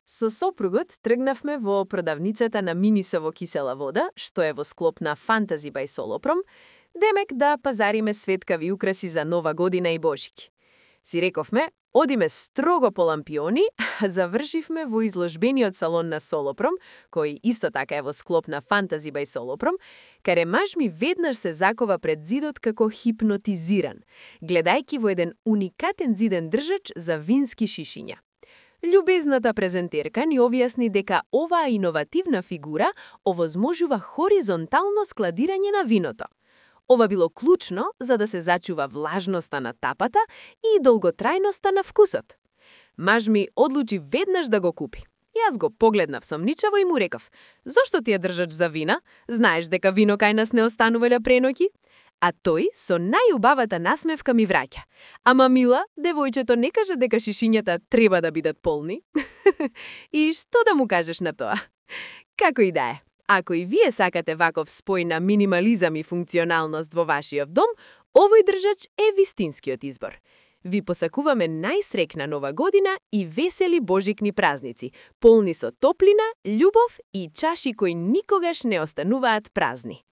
Со сопругот тргнавме во продавницата на Минисово кисела вода, што е во склоп на Фантази бај Солопром, демек да пазариме светкави украси за Нова година и Божик. Си рековме, одиме строго по лампиони, а завршивме во изложбениот салон на Солопром, кој исто така е во склоп на Фантази бај Солопром, каде маж ми веднаш се закова пред зидот како хипнотизиран, гледајки во еден уникатен зиден држач за вински шишиња. Љубезната презентерка ни објасни дека оваа иновативна фигура овозможува хоризонтално складирање на виното. Ова било клучно за да се зачува влажноста на тапата и долготрајноста на вкусот. Маж ми одлучи веднаш да го купи. Јас го погледнав сомничаво и му реков: "Зошто ти ја држач за вина? Знаеш дека вино кај нас не останувале преноќи?" А тој со најубавата насмевка ми враќа: "Ама мила, девојчето не каже дека шишињата треба да бидат полни." И што да му кажеш на тоа? Како и да е, ако и вие сакате ваков спој на минимализам и функционалност во вашиот дом, овој држач е вистинскиот избор. Ви посакуваме најсрекна Нова година и весели божикни празници, полни со топлина, љубов и чаши кои никогаш не остануваат празни.